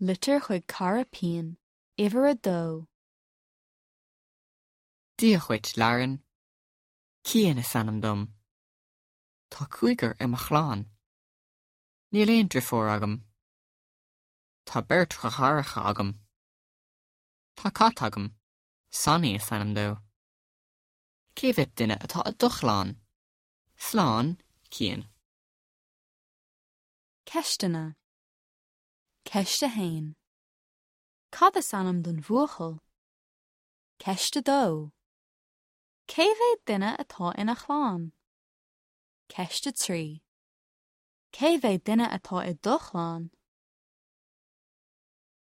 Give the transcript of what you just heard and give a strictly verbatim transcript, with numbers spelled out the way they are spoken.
Litir chuig cara pian, uimhir a dó. Dia dhuit, Lauren. Cian is ainm dom. Tá cúigear i mo chlann. Níl aon deirfiúr agam. Tá beirt dheartháireacha agam. Tá cat agam, Sonny is ainm dó. Cé mhéad duine atá i do chlann? Slán, Cian. Ceisteanna. Ceist a haon. Cad is ainm don bhuachaill? Ceist a dó. Cé mhéad duine atá ina chlann? Ceist a trí. Cé mhéad duine atá i do chlann?